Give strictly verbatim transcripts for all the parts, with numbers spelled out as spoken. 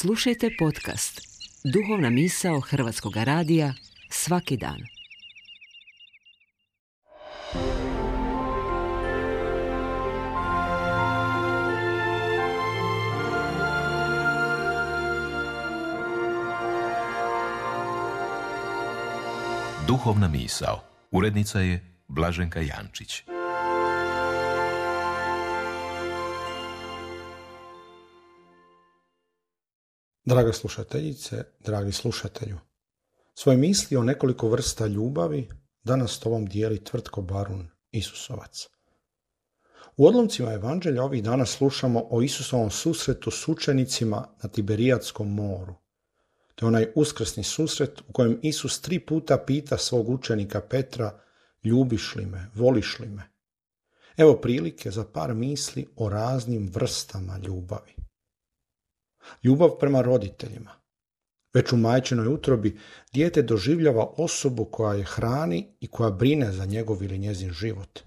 Slušajte podcast Duhovna misao Hrvatskog radija svaki dan. Duhovna misao. Urednica je Blaženka Jančić. Draga slušateljice, dragi slušatelju, svoje misli o nekoliko vrsta ljubavi danas s tobom dijeli Tvrtko Barun, Isusovac. U odlomcima Evanđelja ovih dana slušamo o Isusovom susretu s učenicima na Tiberijadskom moru. To je onaj uskrsni susret u kojem Isus tri puta pita svog učenika Petra: ljubiš li me, voliš li me? Evo prilike za par misli o raznim vrstama ljubavi. Ljubav prema roditeljima. Već u majčinoj utrobi dijete doživljava osobu koja je hrani i koja brine za njegov ili njezin život.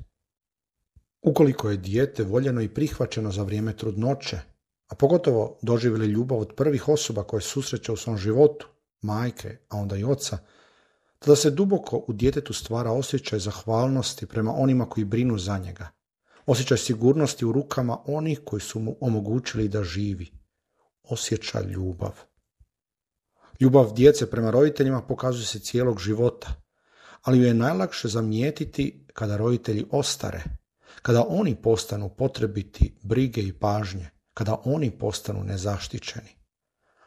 Ukoliko je dijete voljeno i prihvaćeno za vrijeme trudnoće, a pogotovo doživjeli ljubav od prvih osoba koje susreće u svom životu, majke, a onda i oca, tada se duboko u djetetu stvara osjećaj zahvalnosti prema onima koji brinu za njega, osjećaj sigurnosti u rukama onih koji su mu omogućili da živi, osjeća ljubav. Ljubav djece prema roditeljima pokazuje se cijelog života, ali ju je najlakše zamijetiti kada roditelji ostare, kada oni postanu potrebiti brige i pažnje, kada oni postanu nezaštićeni.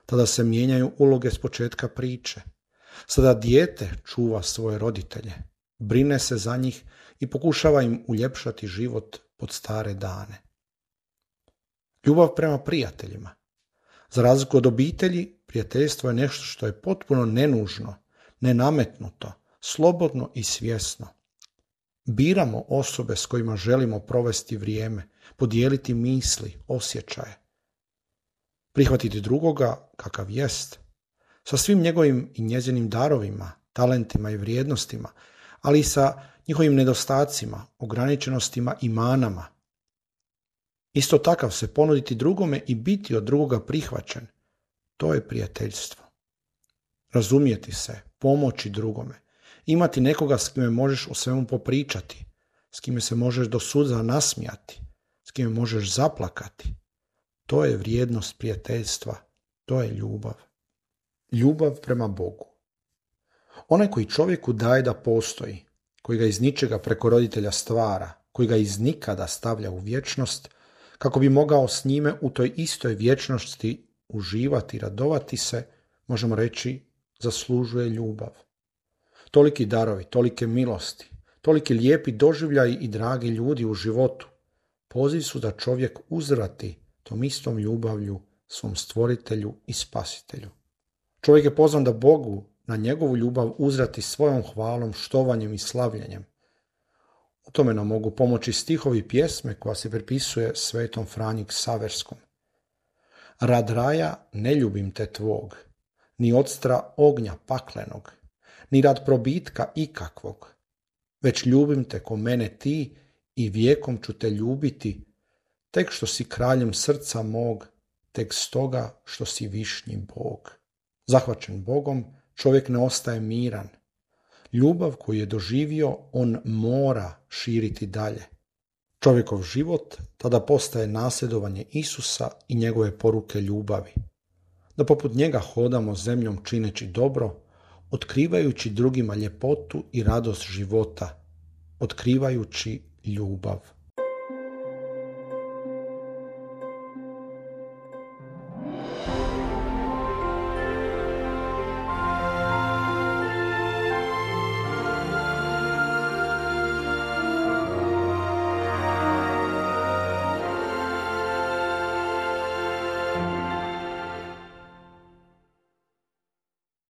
Tada se mijenjaju uloge s početka priče. Sada dijete čuva svoje roditelje, brine se za njih i pokušava im uljepšati život pod stare dane. Ljubav prema prijateljima. Za razliku od obitelji, prijateljstvo je nešto što je potpuno nenužno, nenametnuto, slobodno i svjesno. Biramo osobe s kojima želimo provesti vrijeme, podijeliti misli, osjećaje. Prihvatiti drugoga kakav jest, sa svim njegovim i njezinim darovima, talentima i vrijednostima, ali i sa njihovim nedostacima, ograničenostima i manama. Isto takav se ponuditi drugome i biti od drugoga prihvaćen. To je prijateljstvo. Razumjeti se, pomoći drugome, imati nekoga s kime možeš o svemu popričati, s kime se možeš do suza nasmijati, s kime možeš zaplakati. To je vrijednost prijateljstva, to je ljubav. Ljubav prema Bogu. Onaj koji čovjeku daje da postoji, koji ga iz ničega preko roditelja stvara, koji ga iz nikada stavlja u vječnost, kako bi mogao s njime u toj istoj vječnosti uživati i radovati se, možemo reći, zaslužuje ljubav. Toliki darovi, tolike milosti, toliki lijepi doživljaji i dragi ljudi u životu poziv su da čovjek uzvrati tom istom ljubavlju svom stvoritelju i spasitelju. Čovjek je pozvan da Bogu na njegovu ljubav uzvrati svojom hvalom, štovanjem i slavljenjem. U tome nam mogu pomoći stihovi pjesme koja se pripisuje svetom Franji Ksaverskom. Rad raja ne ljubim te tvog, ni odstra ognja paklenog, ni rad probitka ikakvog, već ljubim te ko mene ti i vijekom ću te ljubiti, tek što si kraljem srca mog, tek stoga što si višnji Bog. Zahvaćen Bogom, čovjek ne ostaje miran. Ljubav koju je doživio, on mora širiti dalje. Čovjekov život tada postaje nasljedovanje Isusa i njegove poruke ljubavi. Da poput njega hodamo zemljom čineći dobro, otkrivajući drugima ljepotu i radost života, otkrivajući ljubav.